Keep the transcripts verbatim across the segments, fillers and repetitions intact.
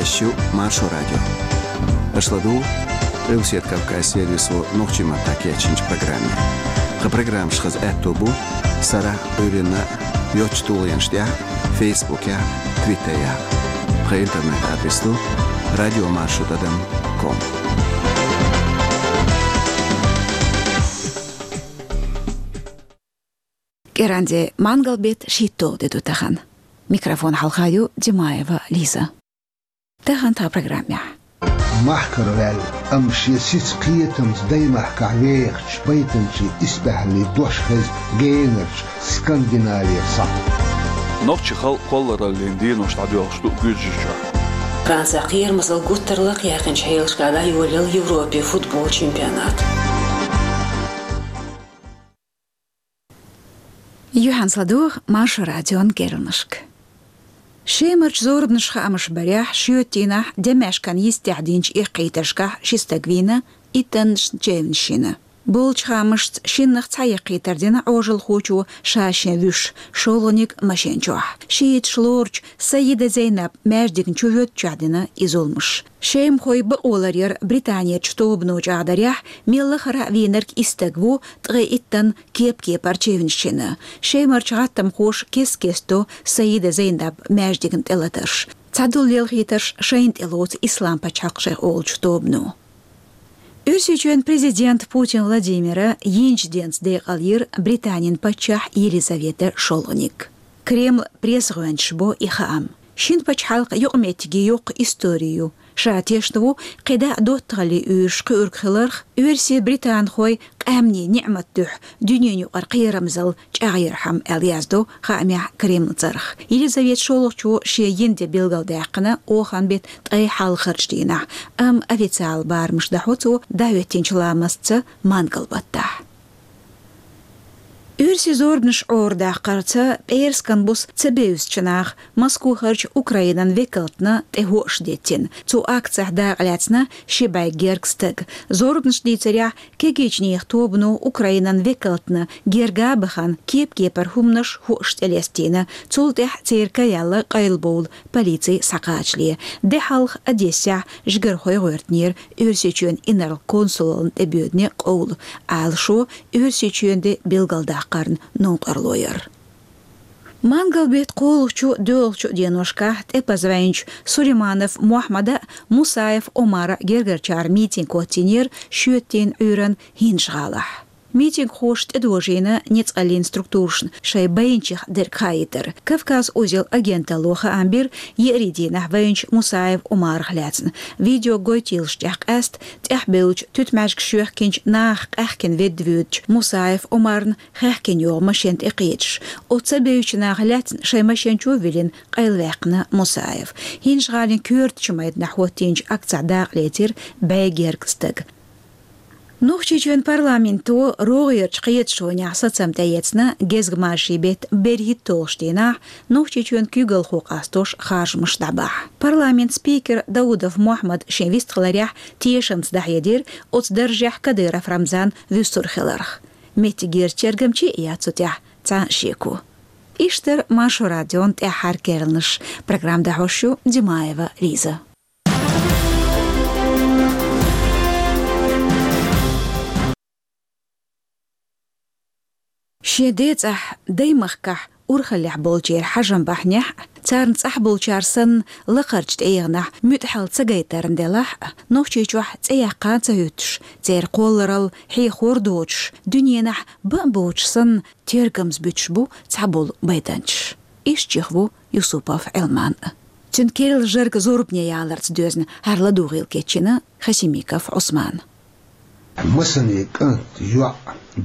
Эфирехь ю Маршо радио. Аша ладугӀу Къилбаседа Кавказан сервисо нохчийн маттахь кечйинчу программе. Тхан программаш хаза аьтто бу сарахь а, Ӏуьйранна а йоцачу тулгӀенаш тӀехь а, Фейсбукехь а, Твиттерехь а. Тхан интернет-адрес ду радиомаршо тӀадам ком. КӀиранде, мангал-беттан шийтталгӀа де ду тахана. Микрофон хьалха ю Димаева Лиза. Тахана тхан программехь. Махкара ваьлла, амма шен сица кхетамца даймахкахь вехачу байтанчийн исбаьхьаллин дош хеза генарчу Скандинавера схьа. Нохчийн халкъан кхоллараллин денош дӀадоьлхуш ду Гуьржийчохь. Францехь кхерамазалла гуттар а лакхаяьккхинчу хьелашкахь дӀайолаелла Европин футболан чемпионат. Юьхьанца ладугӀу Маршо радион керланашка. Шемарчу зорбанаш хаамаш барехь, шоьтан дийнахь Демешкан йистехь динчу эккхийтаршкахь ши стаг вийна, иттаннаш чевнаш йина. Болчу хаамашца, шиннах цхьа эккхийтар дина Ӏожалхочо ша-шен вуьйш, шолгӀаниг машен чохь. Шииташ лоручу Саида Зейнаб маьждигна чу воьдучохь дина и зуламаш. Шемахойн бакъо ларъяран Британерчу тобано чӀагӀдарехь, мел лахара а вийнарг и стаг ву, ткъе иттанна кеп-кепара чевнаш йина. Шемарчу гӀаттамхоша кест-кеста до Саида Зейнаб маьждигна тӀелатарш. Цхьадолу лелхийтарш шайна тӀелоцу Ислам-пачхьалкх шайх олучу тобано. Оьрсийчоьнан президента Путин Владимира йинчу денца декъал йира Британин паччахь Елизавета шолгӀаниг. Кремлан пресс-гӀоьнчаша бо и хаам. Шина пачхьалкхан юкъаметтиге йоккха истори ю. Ша тешна ву кхидӀа а доттагӀаллин уьйраш кхуьург хиларх, оьрсий-британхойн къаьмнийн ниӀматан дуьхьа дуьненан юкъара кхерамзалла чӀагӀъярхьама, аьлла яздо хаамехь Кремлан цӀарах. Елизавета шолгӀачо шен йина де билгалдаьккхина оханан беттан ткъе хьалхарчу дийнахь, амма официалан барамаш дахьо цо дӀахӀоьттинчу ламастца мангал-баттахь. Оьрсийн зорбанаш Ӏорадаккхарца пӀераскан буса ца бевзачу наха Москвахарчу Украинан векалтна тӀе хӀоаш деттина. Цу акцехь дакъалаьцна ши бӀе гергга стаг. Зорбанаш дийцарехь, кегийчу нехан тобано Украинан векалтна герга а бахана, кеп-кепара хӀуманаш, хӀоаш тӀелестийна. Цул тӀаьхьа церан ка яьлла къайлабовла полици схьакхачале. Де хьалха Одессехь жигархой гӀоьртинера Оьрсийчоьнан инарла консулална тӀебоьдуне къовла, Ӏалашо Оьрсийчоьнан де билгалдаккхарна новкъарло яра. Мангал-беттан кхоалгӀачу, доьалгӀачу деношкахь тӀепаза вайначу Сулейманов Мохьмада а, Мусаев Омара а гергарчара митинг хӀоттийнера шоьтан дийнан Ӏуьйранна ХӀинжа-ГӀалахь. Митингхоша тӀедожийна ницкъаллин структурашна шайн байначех дерг хаийтар. «Кавказ узел» агенталло хаам бира еарин дийнахь вайначу Мусаев Омарах лаьцна. Видео гойтийлаш тӀехь къаьста тӀаьхьабевллачу туьтмӀаьжгаш йоьхкинчу нахах къаьхкина ведда воьдучу Мусаев Омарна хаьхкина йогӀу машен тӀекхеташ. Оцу ца бевзачу наха лаьцна шайн машен чу а виллина, къайлаваьккхина Мусаев. ХӀинжа-ГӀалин коьртачу майданахь хӀоттийначу акцехь дакъалецира бӀе гергга стаг. Нохчийчоьнан парламенто рогӀерчу кхеташонехь сацам тӀеэцна гезгмашин беттан берхӀитталгӀачу дийнахь Нохчийчоьнан куьйгалхо къастош харжамаш дӀабахьа. Парламентан спикера Даудов Мохьмада шен вистхиларехь тешамца дӀахьедира оцу даржехь Кадыров Рамзан вуьсур хиларх. Меттигерчу тергамчий а яц цу тӀехь цхьа а шеко. Иштта дара Маршо радион тӀаьххьара керланаш. Программа дӀахьош ю Димаева Лиза. Шен децӀахь, даймахкахь урхаллехь болчеран хьажам бахьанехь а, царна цӀахь болчара санна лакхарчу тӀегӀанехь муьтӀахьалла ца гайтарна делахь а, Нохчийчохь цӀе яккха а ца хӀуьттуш, церан кхолларалла хьехор доцуш, дуьненахь бан а боцуш санна, тергамза буьтуш бу цхьаболу байтанчаш. Иштта чӀогӀа ву Юсупов Ӏилман а. Цуьнан керла жарга зорбане яларца доьзна хӀара ладугӀийла кечйина Хасимиков Ӏусмана. Масане кӀант, йоӀ,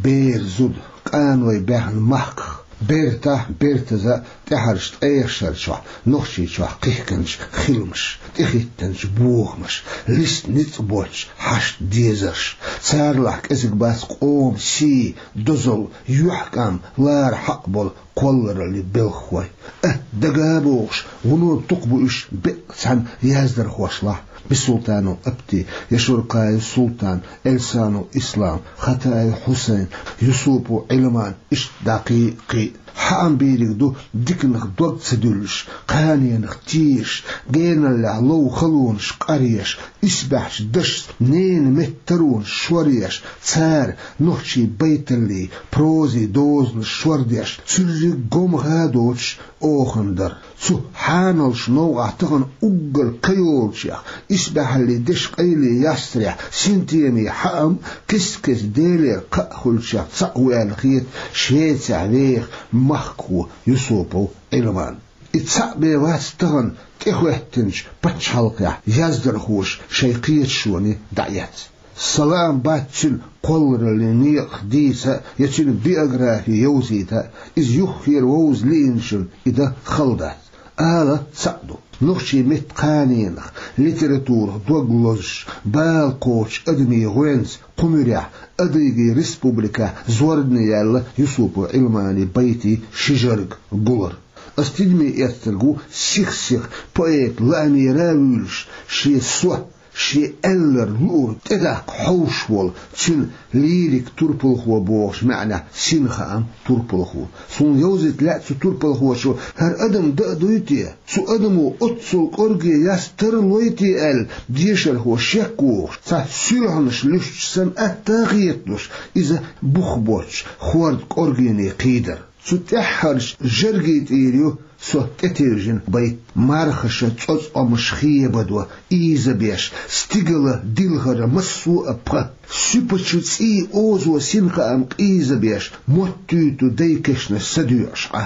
бер, зуда, къаной баьхна махках, бертахь, бертаза тӀаьхьарчу ткъех шарчохь Нохчийчохь кхихкинчу хиламаш, тӀехӀиттинчу бохамаш, листа ницкъ боцчу хьаштан дезарш, царалахь кӀезиг бац къоман сий, дозалла, юьхькӀам лара хьакъ болу кхоллараллин белхахой. Э, дага а бохуш, вуно дукха бу уьш беккъа цхьана яздархошлахь: Бисултанов Апти, Яшуркаев Султан, Эльсанов Ислам, Хатаев Хьусайн, Юсупов Ӏилман, иштта дӀа кхин а, кхин а. Хьаам бийриг ду диканах дог ца дуьллуш, кханенах тешаш, геналлехь лов халонаш къаръеш, исбаьхьчу дашца ненан меттан таронаш шоръеш, цара нохчийн байталлий, прозий дозанаш шордеш, цуьрриг гомха а доцуш, охана дара. Цу хьаналчу новкъахь тахана уггар ка йолчех, исбаьхьаллин дешан къайле ястарехь, синтеман хьаам кест-кеста Делера кхаъ хуьлучех цхьаъ ву аьлла хета Швецехь веха махкахо Юсупов Ӏилман. И цхьаъ бен вац тахана тӀехӀоьттинчу пачхьалкхехь яздархоша шайн кхеташоне дӀаэцна. Сан лаам бац цуьнан кхоллараллин некъах дийца а, я цуьнан биографи йовзийта а, иза юххера вовза лиъначунна и дан хала дац. Ала цхьаъ ду: нохчийн меттан кханенах, литературах дог лозуш, бала кхочучу адамийн гӀоьнца кху муьрехь Адыгейн республикехь зорбане яьлла Юсупов Ӏилманан байтийн ши жарга гулар. Ас тидаме эцнарг ву сих-сиха поэтан лаамера а вуьйлуш, шен со, шен аьлларг луург тӀедаккха хьовш волу, цуьнан лирикан турпалхо бохучу маьӀнехь синхааман турпалхо. Суна йовзийта лаьа цу турпалхочо: хӀара адам дан а дуй те? Цу адамо оццул кӀорге яста тарлой те аьлла, дешархо шек а вохуш, цхьа суьлхьанаш луьстуш санна атта а хеталуш, иза бух боцчу хӀордан кӀоргене кхийдар. Цу тӀаьххьарчу жаргийн тӀера ю со тӀетевжина байт: мархаша цӀоцкъамаш хебадо ийзабеш, стигала дилхара массо а пха, суьпачу цӀийн озо синхаам къийзабеш, моттуьйту дайн кешнаш са доьӀуш Ӏа.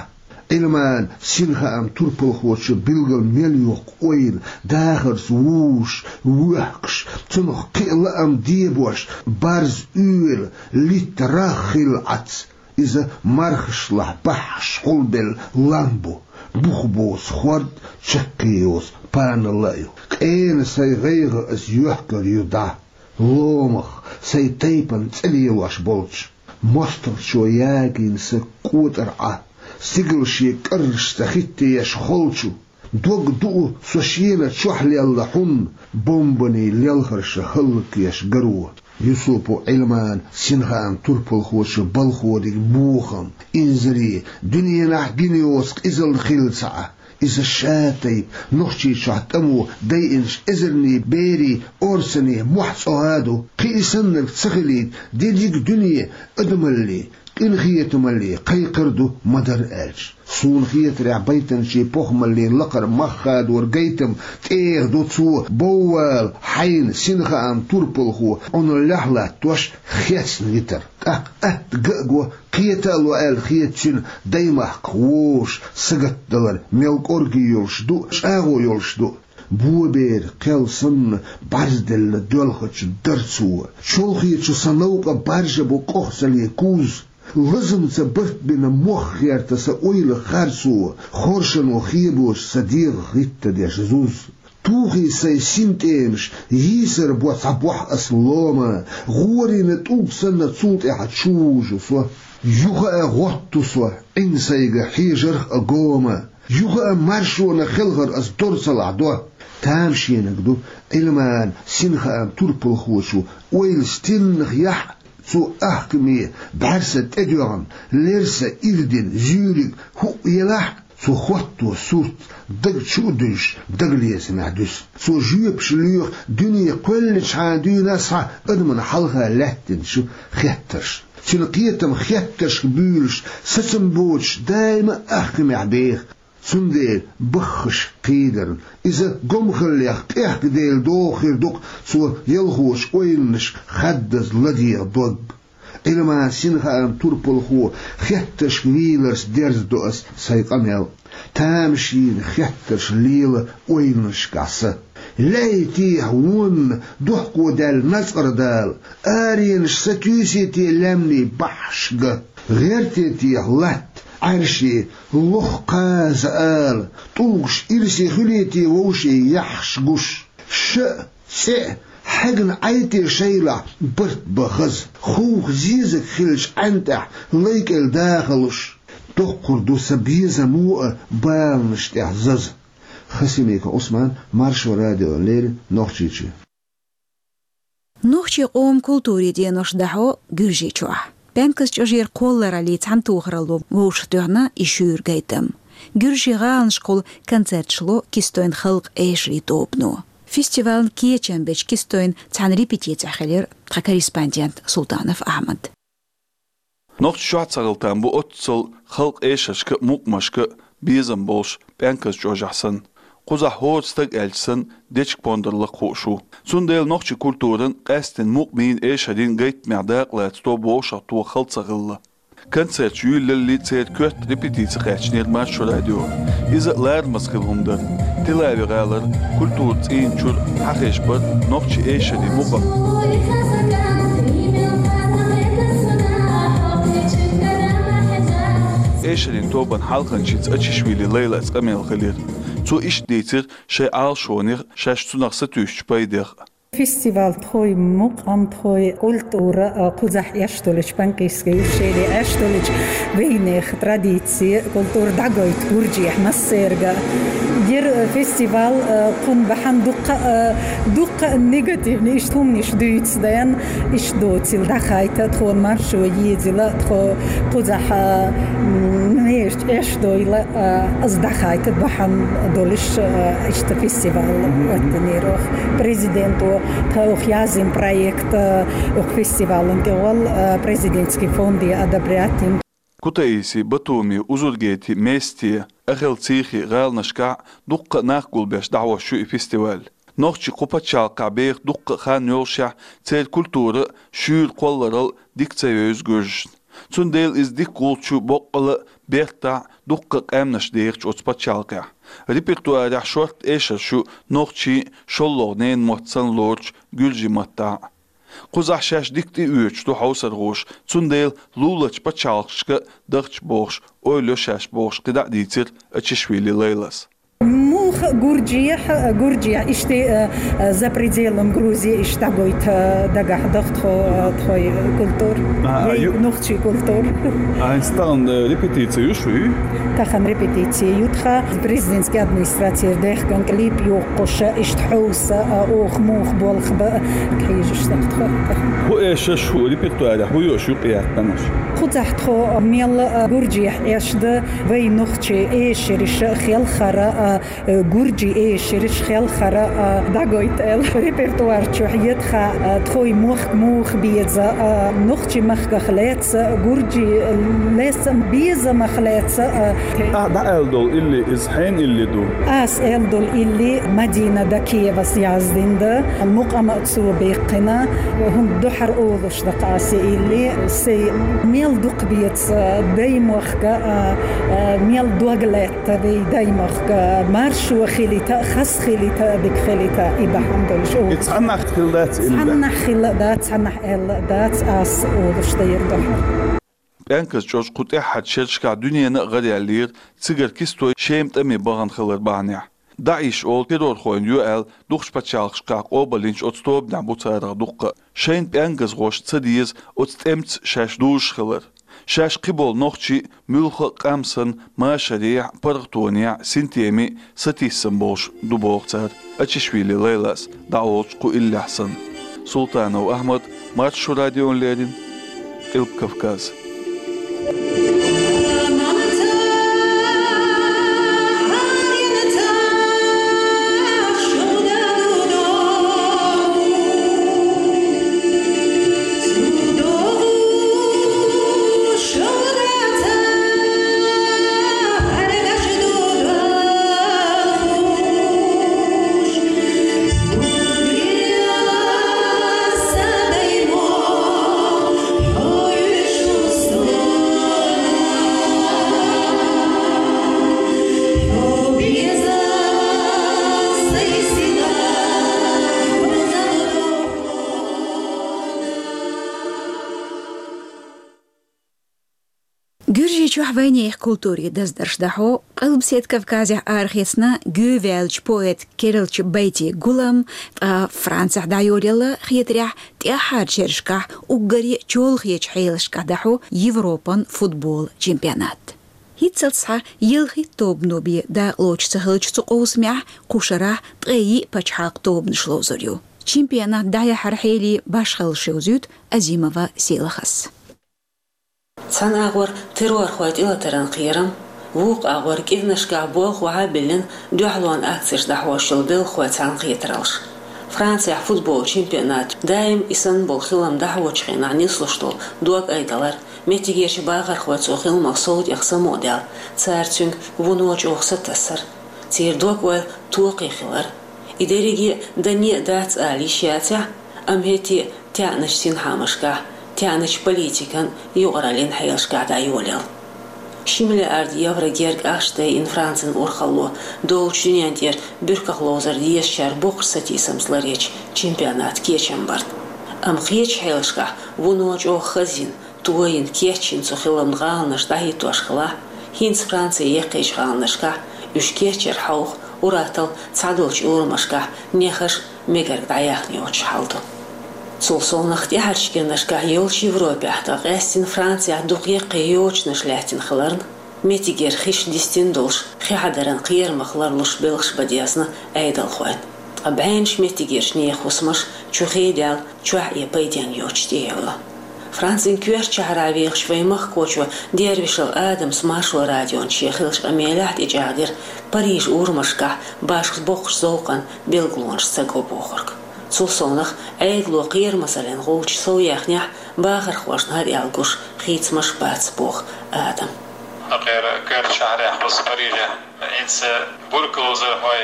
Ӏилман синхааман турпалхочо билггал мел йоккху ойла, дахарца вужуш, воьхкуш, цунах кхин а лаам дебош, барз уьйр, литта рагӀ хилла Ӏац. Иза мархашлахь баххьаш хьулбелла лам бу, бух боцу хӀорд, чаккхе йоцу паналла а ю. Къена сайн гӀайгӀа ас йоьхкур ю дӀа, ломах, сайн тайпана цӀе лелош болчу. МостагӀчо ягийна сан кӀотӀар Ӏа, стигала шен кӀаррашца хӀиттаеш холчу. Дог дуу со шена чохь лелла хьунна, бомбанийн лелхарша хӀаллакъеш гаро. Юсупов Ӏилман синхааман турпалхочо балхориг бохам, инзаре, дуьненахь гина йоцу къизалла хилла ца Ӏа. Иза ша тайпа Нохчийчохь тӀамо дайинчу эзарнийн берийн, орцанийн мохь цӀогӀа а ду, кхин и саннарг ца хилийта, дерриг а дуьне адамалле, къинхетамалле кхайкхар а ду ма-дарра аьлча. Суна хетарехь, байтанчийн похӀмаллин лакхара мах хадор гайтам тӀера ду цо боввала хьайна синхааман турпалхо Ӏуналлехь латтош хецна витар. ТӀаккха атта ган а го, кхета а ло аьлла хета цуьнан даймахках вовшаш сагатдалар мел кӀорге йолуш ду, чӀагӀо йолуш ду. Боберан кхел санна бӀарзделла доьлхучу дарцо, чолхечу сан новкъа баржа бу къохсаллин куз. Лазамца барт бина мох гӀерта сан ойла харцо, хоршано хебош сан дегӀах хӀиттадеш зуз. Тухий сайн синтӀемаш, йийсар бо цхьа бохь ас лома, гӀорийна тӀулг санна цул тӀаьхьа чу вужу со. Юха а гӀотту со Ӏин сайга хьежарх а гома, юха а маршонан хелхар ас дор ца лахь до. Тамашийнарг ду Ӏилман синхааман турпалхочо ойла стеннах яхь, цо ахкаме бӀаьрса тӀедоьгӀна, лерса ирдина зуьйриг хӀуъ елахь, цо хӀотто сурт дага чу а дуьллуш, дагалецамехь дуьсу. Цо жоьпаш лоьху дуьне кхоьллинчхьана дуьйна схьа адамна хьалха лаьттинчу хеттаршна. Цуьнан кхетам хеттаршка буьйлуш, сацам боцуш, даима а ахкамехь беха. Цундела баххаш кхийдарна, иза гомхаллех къехкаделла догӀу хир ду-кх цо ялхочу ойланашка хаддаза ладегӀа дог. Ӏилман синхааман турпалхо хеттаршка вийларца дерзадо ас сайн къамел. Тамашийна хеттарш лела ойланашкахь сан. Лаьий техьа вонна дохко даьлла Назкъара Дала, аренаш сатуьйсий те лаьмнийн баххьашка? ГӀерте техьа латта Ӏаьрший лох кхаза ала, тӀулгаш ирсе хуьлий те вовшийн яххьаш гуш? Ша а, цӀе а хьегна Ӏай те шайлахь барт бан хаза, хувха зезаг хилча Ӏаьн тӀехь лай кӀел дахалуш? Доккхур ду сан безамо а баланаш тӀехь заза. Хасимиков Ӏусман, Маршо радиона леррина, Нохчийчоь. Нохчийн къоман культурин денош дӀахьо Гуьржийчохь. Пенкас чӀожера кхоллараллий цхьаьнатохаралло вовшахтоьхна и шуьйра гайтам. Гуьржийн гӀаланашкахула концерташ ло Кистойн халкъа эшарий тобано. Фестивалан кечам беча Кистойн цхьана репетицехь хилира тхан корреспондент Султанов Ахьмад. Нохчий чохь ца хила там бу оццул халкъа эшаршка а, мукъамашка а безам болуш, Пенкас чӀожахь санна. Кхузахь хӀора стаг аьлча санна, дечиг-пондар лакха хууш ву. Цундела нохчийн культуран, къаьсттина мукъамийн, эшарийн гайтамехь дакъа лаца тоба вовшахтоха хала ца хилла. Концерташ юьйлаллий, церан коьрта репетици кхаьчнера Маршо радио. Иза а ларамаза хилла хӀума дара. Тель-Авив-гӀалара культуран цӀийнан чуьра хьахезаш бара нохчийн эшарийн мукъам. Эшарийн тобан хьалханчица Ачишвили Лайлас къамел хилира. Цо иштта дийцира шайн Ӏалашонех, шаьш цунах сатуьйсучу пайдех. Фестиваль тхайн мукъам, тхайн культура, а, кхузахь эш долчу панкисский ущелье, эш долчу вайнехан традици, культура дӀагойту Гуржехь массаьрга. Яра, а, фестиваль, а, кхунна бахьана дуккха, а, дуккха а негативни иштта хӀуманаш дуьйцу дайна, иштта доцийла дӀахайта, тхуна Маршо езийла, тхо кхузахь, а, м, меж эш дойла, а, ас дӀахайта бахьана долуш, а, иштта фестиваль оттанера оха. Президенто тхайх яздина проект, а, оха фестивалан тӀехула, а, президентский фонде одобрять йина. Кутаиси, Батуми, Узургети, Мести, Ахел-Цийхи гӀаланашкахь дуккха а нах гулбеш дӀахьош ю и фестиваль. Нохчий кху пачхьалкхехь беха дуккха а хан йолушехь, церан культура а, шуьйра кхолларалла а дика ца евза гуьржашна. Цундела иза дика гӀулч ю боккъала а, бертахь а дуккха а къаьмнаш дехачу оцу пачхьалкхехь. Репертуарехь шортта эшарш ю нохчийн а, шолгӀа ненан мотт санна лоручу гуьржийн маттахь а. Кхузахь шаьш дика тӀеоьцуш ду хьовсархоша, цундела луларчу пачхьалкхашка а дахча бохуш, ойла йо шаьш бохуш, кхидӀа а дийцира Ачишвили Лайлас. Муха Гуржехь, Гуржехь, иштта, а, а, за пределом Грузии иштта дӀагойта дагахь даха тхо, а, тхой культура. А, а, вай ю-, нохчий культура. А, хӀинца тахана, э, репетици ю шуьй? Тахана репетици ю тхан. Президентский администрацера даьхкина клип йоккхуш, иштта хьовса, а, оха муха болх бан, хьийзаш даха тхо. ХӀун эшарш, хӀун репертуарехь, хӀун йолуш ю къаьсттанаш? Кхузахь тхо мел, а, Гуржехь эш дан, вай нохчий эшарш хелхара, а, э, гуржий эшарш хелхара, а, дӀагойта аьлла. Репертуар чохь ю тхан, а, тхой мохк муха беза, а, нохчийн махках лаьцна, гуржий лаьцна, безамах лаьцна, а. Ахь дӀааьлла долу илли, иза хьенан илли ду? Ас аьлла долу илли Мадина Дакиевас яздина дан, мукъам а цо баьккхина, хӀунда дуьхьара олуш дакха ас и илли, сайн мел дукха беза, даймохк, а, а, мел дог лаьтта. Та вай даймахка маршо хилийта, хас хилийта, дика хилийта, и бахьана долуш. И цхьаннахь хилла дац, илле? Цхьаннахь хилла дац, цхьаннахь аьлла дац, ас олуш дайра дуьхьал. Пенкас чӀож кху тӀаьххьарчу шерашкахь дуьненна а гӀараяьллера, цигара Кистой Шема тӀаме бахана хилар бахьанехь. ДАИШ олу террорхойн ю аьлла, дукхачу пачхьалкхашкахь къобалйинчу оцу тобанехь бу царах дуккха а. Шайна пенкасхошна ца деза оцу тӀемца шаьш дужуш хилар. Шаьш кхиболу нохчий муьлхха а къам санна машарехь а, паргӀатонехь а, синтеме а сатийсам болуш ду боху цара, Ачишвили Лайлас дӀаолучу кху иллехь санна. Султанов Ахьмад, Маршо радиона леррина, Къилба Кавказ. Гуьржийчохь вайнехан культурин даздарш дӀахьо, Къилбаседа Кавказехь арахецна гӀеваьллачу поэт Кералчу Байтин гулам, ткъа Францехь дӀайолаелла хетарехь, тӀаьххьарчу шерашкахь уггаре чолхечу хьелашкахь дӀахьо Европан футбол чемпионат. ХӀинццалц схьа ялхитта тобано бен дакъалоцуш ца хиллачу цу къовсамехь кху шарахь ткъе йиъ пачхьалкхан тобанаш ловзур ю. Чемпионат дӀаяхьаран хьелий башхаллаш йовзуьйту Азимова Селахас. Цхьана агӀор террорхойн тӀелатаран кхерам, вукху агӀор кӀиранашкахь болх охьа а биллина, дуьхьалонан акцеш дӀахьош йолу белхалойн цхьаьнакхетараллаш. Францехь футбол чемпионат даим и санна болу хилам дӀахьочу хенахь нислуш долу дог айдалар, меттигерчу бахархойн цу хиламах сов тӀех самукъадаьлла, цара цуьнга вуно чӀогӀа сатассар, церан дог-ойла токхе хилар. И дерриге а дане а дац ала йиш яцахь, амма хӀетте а таьӀначу синхьаамашкахь, таьӀначу политикан, юкъараллин хьелашкахь дӀайолаелла. Ши миллиард евро герга ахча дайина Францин урхалло доллучу дуьнен тӀера буьрках ловзар дезачара боккхачу сатийсамца ларъечу чемпионатан кечам барна. Амма кхечу хьелашкахь вуно чӀогӀа хазйина, тойина, кечйина цу хиламна гӀаланаш дӀахӀиттош хилахь, хӀинца Францин яккхийчу гӀаланашкахь уьш кечъяр хьовха, ур-атталла цхьадолчу урамашкахь нехаш а мегарг дӀаяьхна йоцуш хьал ду. Цул совнах тӀаьхьарчу кӀиранашкахь йолчу Европехь, ткъа къаьстина Францехь дукха яккхий йочанаш лаьттина хиларна, меттигера хиш дистина долуш, хи хьадаран кхерамах ларлуш белхаш бан дезна Ӏедалхойн. Ткъа бӀеннаш меттигерчу нехан хӀусамаш чу хедаьлла, чохь а пайденна йоцуш тӀеевлла. Францин коьртачу шахьарахь вехаш вайн махкахочо Дервишев Адамас Маршо радион шен хиллачу къамелехь тӀечӀагӀдира Парижан урамашкахь башха боккхачу зовкъан билгалонаш ца го бохург. Цул совнах, Ӏедало кхерамазаллин гӀулчаш сов яьхнехь, бахархошна хӀара аьлла гуш хийцамаш бац, боху Адам. Акхера коьртачу шахьарехь, кхуза Парижехь, хӀинца буьркаловзархой,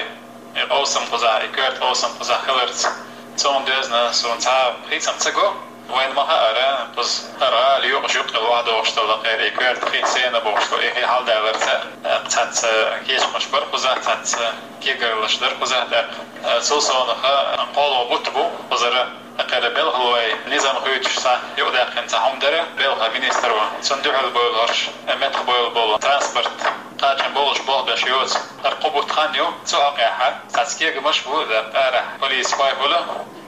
и къовсам кхузахь, и коьрта къовсам кхузахь хиларца, цунна доьзна суна цхьа а хийцам ца го. Вайна ма-хаъара, кхуза хӀара гӀала юкъа юккъе лохдохуш долу, акхера и коьрта хи сенна бохуш долу, и хи хьалдаларца, э, цхьацца кечамаш бара кхузахь, цхьацца кегарлаш дара кхузахь тӀаккха. Э, цул совнаха, кхоалгӀа бутт бу кхузара, акхера белхалойн низам хуьйцуш цхьа юкъадаьккхина цхьа хӀума дара, белхан министро. Цунна дуьхьал бовла хӀорш, э, меттахбовла болу транспорт кхачам болуш болх беш йоцу. ХӀара кхо бутт хан ю, цу хьокъехь цхьацца кегамаш бу, тӀаккха арахь полисхой хуьлу.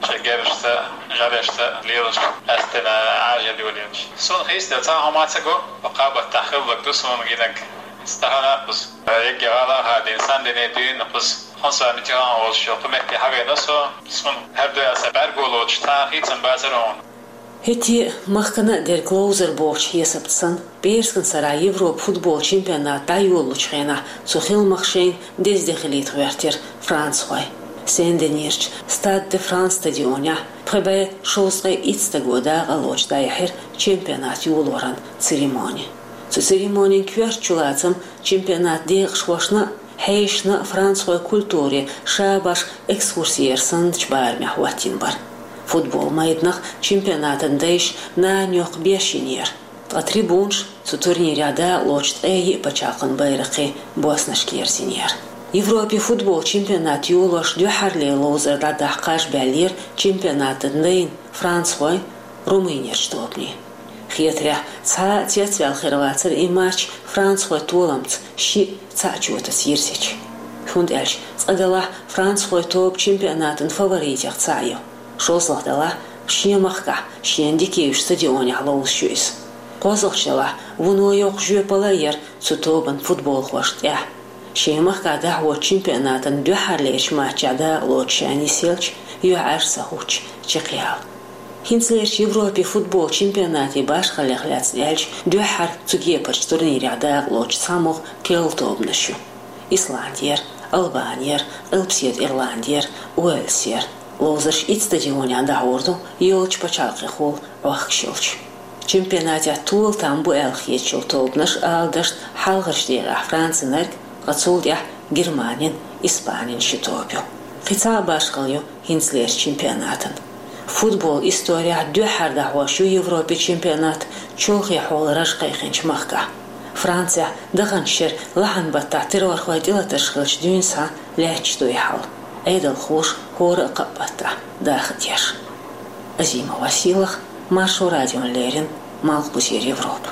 Шайн герзашца, жӀаьрашца лелаш, къаьсттина Ӏажал йолаелаш. Суна хийцаделла цхьа а хӀума ца го, кхаа баттахь хилларг ду суна гинарг. Стахана кхуза, э, егги гӀала а хадийна, Сен-Дени дуьйна кхуза, Франсуа Миттеран олуш йолу кху метте хьавеана со. Суна хӀара дуьхьа сан бӀаьрго лоцуш цхьа а хийцам бацара хьуна. ХӀетте а махкана а дерг ловзар бохучу хьесапца санна, пӀераскан сарахь Европан футбол чемпионат дӀайолалучу хенахь цу хиламах шайна деза де хилийта гӀоьртира францхой. Сен-Денерчу Стад де Франс стадионехь пхи бӀе шовзткъе итт стага дакъа лоцуш дӀаяьхьира чемпионат йолоран церемони. Цу церемонин коьрта чулацам чемпионатан декъашхошна а, хьешашна а францхойн культуре ша-башха экскурси яр санначу барамехь хӀоттийна бара. Футбол майданах чемпионатан дайша нана йоккха беш йинера, ткъа трибунаш цу турнирехь дакъа лоцуш ткъе йиъ пачхьалкхан байракхийн боснашка ерзийнера. Европан футбол чемпионат йолош дуьххьарлера ловзар дӀадахьа кхаж баьллера чемпионатан дайна францхойн Румынерчу тобанийн. Хетарехь, цхьа а цецваьлла хир вацара и матч францхойн толамца шиъ цхьаъ чотаца йирзича. ХӀунда аьлча цкъа делахь францхойн тоба чемпионатан фаворитех цхьаъ ю. ШолгӀа делахь шен махкахь, шена дика йолчу стадионехь ловзуш ю иза. КхозлагӀчу делахь вуно йоккха жоьпалла а яра цу тобан футболхошна тӀехь. Шен махкахь дӀахьочу чемпионатан дуьххьарлерчу матчехь дакъа лоцуш ша нисъелча, юьхьӀаьржа ца хӀуттуш чекхъяла. ХӀинцалерчу Европан футбол чемпионатан башхаллех лаьцна аьлча, дуьххьара цу кепарчу турнирехь дакъа лоцуш цхьамогӀа керла тобанаш ю: Исландера, Албанера, Къилбаседа Ирландера, Уэльсера. Ловзарш итт стадионехь дӀахьур ду, йолчу пачхьалкхехула Ӏохкуш йолчу. Чемпионатехь тола там бу аьлла хеташ йолу тобанаш ала дашна хьалхарчу декъехь Францинарг, ткъа цул тӀаьхьа Германин, Испанин ши тоба ю. Кхин цхьа а башхалла ю хӀинцалерчу чемпионатан. Футбол исторехь дуьххьара дӀахьош ю Европан чемпионат чолхе хьолан раж кхайкхинчу махкахь. Францехь даханчу шеран лахьан баттахь террорхойн тӀелатарш хиллачу дуьйна схьа лаьтташ ду и хьал, Ӏедалхоша хӀора а кхаа баттахь даха а деш. Азима Василах, Маршо радиона леррина, Малхбузера Европа.